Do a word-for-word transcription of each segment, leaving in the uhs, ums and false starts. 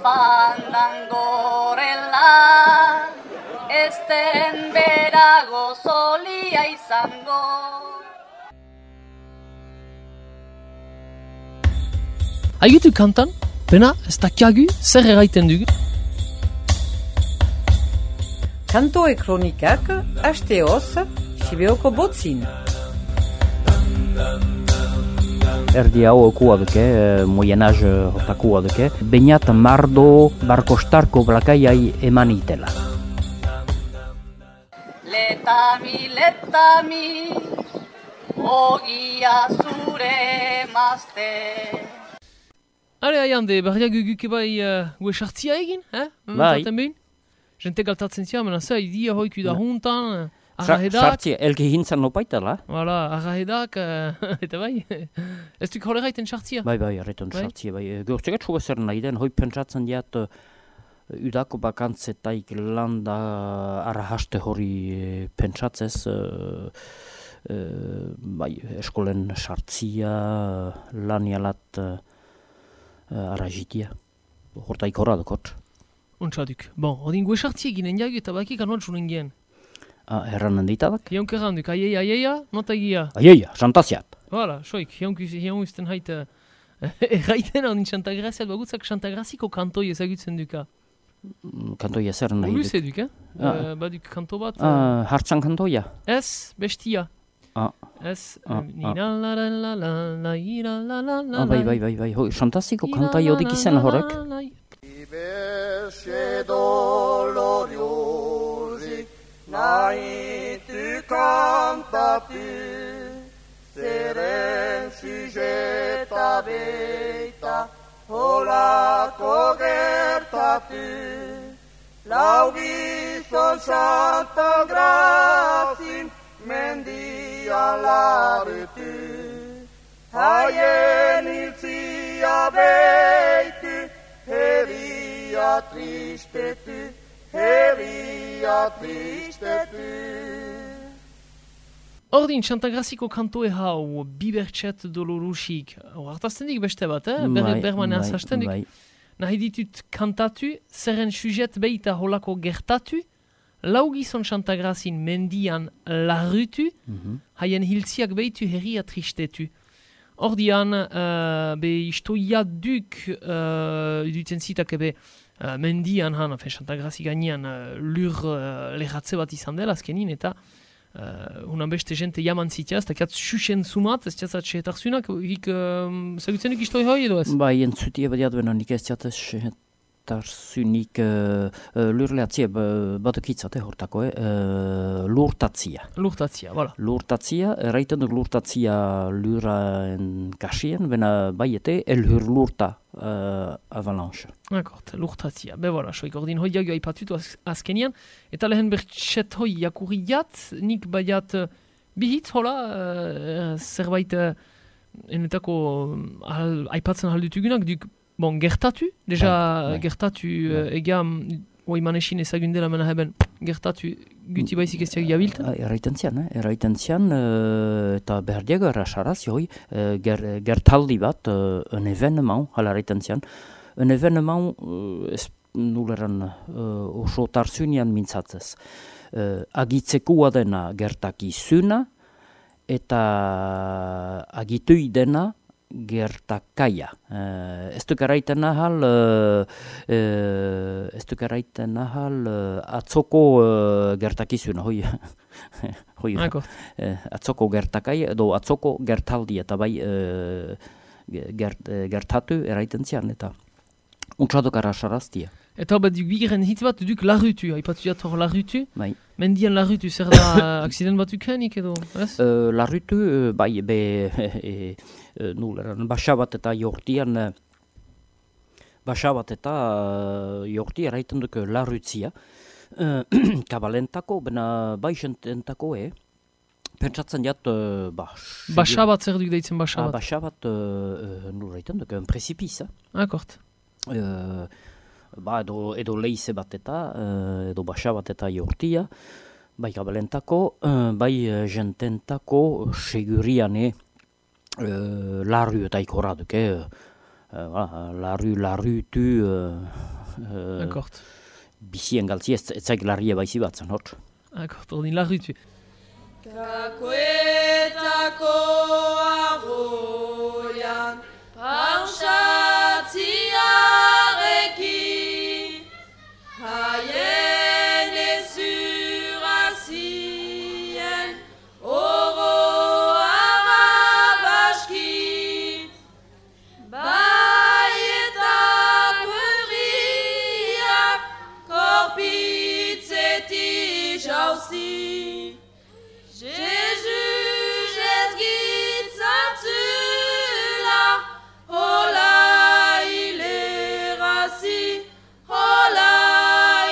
fandangorela, esten berago solia izango. Haigitu kantan, pena, ez dakiagu, zer erraiten dugu? Kantoe kronikak, hasteoz, Sibeoko botzin. Erdi hau okua duke, moyenaz hortakua duke, bainat mardo barkostarko blakaiai eman itela. Letami, letami, ogia zure mazte. Hale, haiande, barriak guguke bai uh, gue sartzia egin, eh? Bai. Jente galtatzen zia, mena zea, idia hoiku da juntan, Sa- arrahedak. Sartzia, elke hintzan lopaitela. Voilà, arrahedak, uh, eta bai. Ez duk hole gaiten sartzia? Bai, bai, erreton Bai. sartzia, bai. Gortzegat txuga zer nahi den, hoi pentsatzen diat uh, udako bakantzetaik landa arrahaste hori uh, pentsatzez, uh, uh, bai, eskolen sartzia, uh, lanialat uh, uh, arrajitia. Hortaik horra dukot. Untsaduk. Bon, odin gue sartzia eginen jagu eta bakik anuan txunen gen. Ah, erranen ditadak? Jaunk erranduk, aiei, aieia, nota egia. Aieia, santaziat. Voilà, soik, jaunk izten haite erraiten hau Xantagraziat bagutzak Xantagraziko kantoi ezagutzen duka. Kantoia zer nahi duk? Luze duk, eh? Ah. Uh, baduk kanto bat. Ah, hartzan kantoia? Ez, bestia. Ah, Ez, Ah, ni la la la la la la ira la la la ah, bai, bai, bai, bai. Hoi, santaziko kantai hodik izen horrek? Diverse doloriosi nahi tu kantatu, zeren sujeta beita holako gertatu. Lau gizon Santa Grazin mendian larutu, haien hiltzia beitu, herria tristetu, herria tristetu. Ordin, Xantagraziko kantoe hau, bibertxet dolorusik. Hartazten dik beste bat, eh? Ber, Bai, bermanean bai, zasten dik. bai. Nahi ditut kantatu, zerren sujet beita holako gertatu, lau gizon Xantagrazin mendian larrutu, Mhm. haien hiltziak beitu herria tristetu. Ordian, uh, be istoia duk, uh, dutzen zitak ebe, uh, mendian han, afen, Xantagrazi gainean, uh, lur uh, lehatze bat izan dela azkenin, eta uh, unan beste jente jaman zitia, ez dakiat xuxen zumat, ez tiatzat sehetarzunak, hik, uh, zagutzenik istoi hoi edo ez? Bai, entzutia badiat bena nik ez diatez tarzunik uh, uh, lurleatzia badukitzate hortako, eh? Uh, lurtatzia. Lurtatzia, voilà. Lurtatzia, erraiten duk lurtatzia luraen kasien, bena baiete elhur lurta uh, avalanche. Akort, lurtatzia. Be voilà, soik ordin hoi jagu aipatutu az, azkenian, eta lehen bertxet hoi jakurriat, nik baiat uh, bihitz, hola, uh, zerbait uh, enetako uh, aipatzen haldutugunak, duk, bon, gertatu, deja Bai, bai. gertatu uh, ega, oi manesin ezagundela mena heben, gertatu guti baizik ez diak jabilt. Ah, Erraiten zian, eh? Erraiten zian, uh, eta behar diago errasaraz, joi, uh, ger, gertaldi bat, uh, un evenement, hala erraiten zian, un evenement, uh, ez nuleran uh, oso tarzunian mintzatzez. Uh, agitzekua dena gertakizuna, eta agitui dena gertakaia. Uh, ez duk erraiten nahal, uh, uh, ez duk erraiten nahal uh, atzoko uh, gertakizuna, hoi, hoi, Akort. uh, atzoko gertakaia, edo atzoko gertaldi, eta bai uh, gert, uh, gertatu erraiten zian, eta untsadok arrasaraztia. Eta bat duk bigiren hitz bat duk larrutu, aipatu jat hor larrutu, Bai. mendian larrutu zer da akzident bat dukenik edo, ez? Uh, larrutu, uh, bai, be, e, e, nuleran, basabat eta jortian, uh, basabat eta uh, jorti erraiten duk larrutzia, uh, kabalentako, bena baixententako, eh? Pentsatzen jat, uh, ba... Basabat zer duk deitzen Ah, basabat. basabat, uh, uh, nurraiten duk, un precipice, Akort. uh, ba, edo, edo leize bat eta, uh, edo basa bat eta jortia, bai kabalentako, uh, bai uh, jententako seguriane uh, larru eta ikorra duke, uh, uh, larru, larrutu, uh, Uh, D'accord. Bizien galtzi ez zaik larria baizi batzen, hor. D'accord, ordin larrutu. Kakuetako arroian pausatziarekin haien ezurazien oro arabaski baietak herriak korpitzetik jauzi. Jésus, Jésus, Satsula, hola il est rassi, hola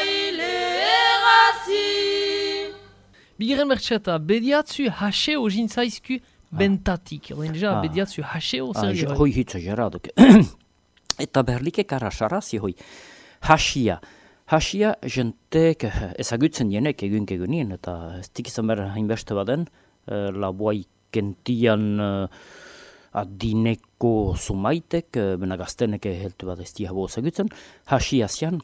il est rassi. Bigarren bertxeta, bediatzu haseo jintzaizku bentatik. Ordin deja, Ah. bediatzu haseo Ah, zer je- gira. hoi hitza jarraduk. Eta berlike karasarazi hoi. Hasia. Hasia jentek ezagutzen dienek egun egunien, eta ez tikizan behar hainbeste baden, eh, laboai kentian eh, adineko sumaitek, eh, bena gaztenek heltu bat ez diabo ezagutzen. Hasia zian,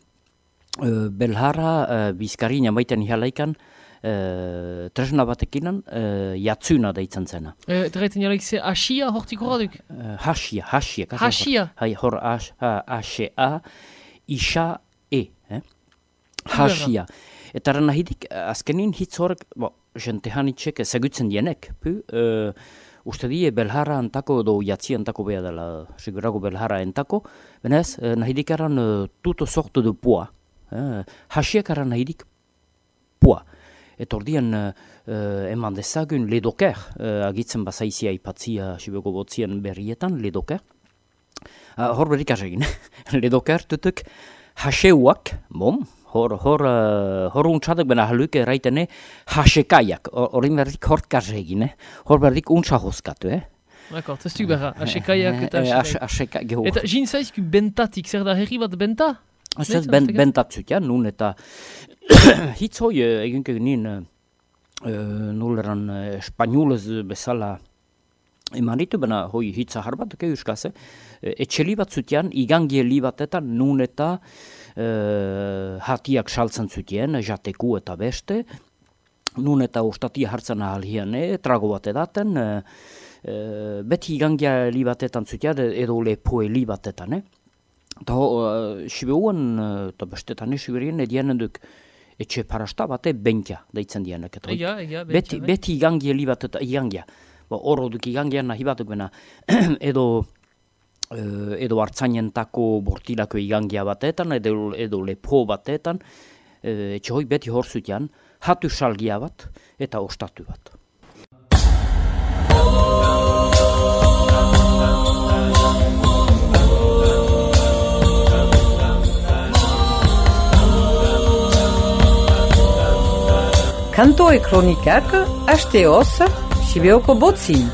eh, belhara eh, bizkarina maiten ihalaikan, eh, tresna batekinan, eh, jatzuna deitzen zena. Eta gaiten jalaik ze hasia hortik horraduk. Uh, hasia, hasia. kaso Hasia? Hor, hai, hor as, ha, asea, isa, e. Eh? Hasia. Eta ran nahidik, azkenin hitz horrek, bo, jente hanitxek ezagutzen dienek. Pu, uh, uste die belhara antako edo jatzi antako beha dela, sigurago belhara entako, benez, uh, nahidik eran uh, tuto sorte de poa. Uh, hasiak eran nahidik poa. Eta ordian uh, uh, eman dezagun ledoker, uh, agitzen bazaizia ipatzia Sibeko botzien berrietan, ledoker. Uh, hor berrik azegin, ledoker tutuk haseuak, bom, hor, hor, uh, hor untsadak bena haluk eraitene hasekaiak, horrin berrik hor kazegin, eh? Hor berrik untsa hozkatu, eh? D'accord, ez duk berra, hasekaiak eta Eh, hasekaiak. Haseka, geho. Eta jintzaizku bentatik, zer da herri bat benta? Ez Benetan, ben, ez bentatzut, ja, nun eta hitz hoi uh, egunke nien uh, nuleran uh, espainolez bezala eman ditu, bena hoi hitza harbat, ke euskaz, eh? Etxeli bat zutian, igangieli batetan, nun eta uh, hatiak saltzen zutien, jateku eta beste, nun eta ostatia hartzen ahal hiene, trago bat edaten, uh, uh, beti igangieli batetan zutian, edo lepoeli batetan, eh? Eta uh, sibeuan, eta uh, bestetan esibirien, edienen duk etxe parasta bate bentia deitzen dienek. Eta Ega, ega, beti, bentsa, beti igangieli bat eta igangia. Ba, horro duk igangian nahi batuk bena, edo, uh, edo hartzainentako bortilako igangia batetan, edo, edo lepo batetan, uh, etxe hoi beti hor zutian, hatu salgia bat eta ostatu bat. Kanto e kronikak, hasteoz, Sibeoko botzin.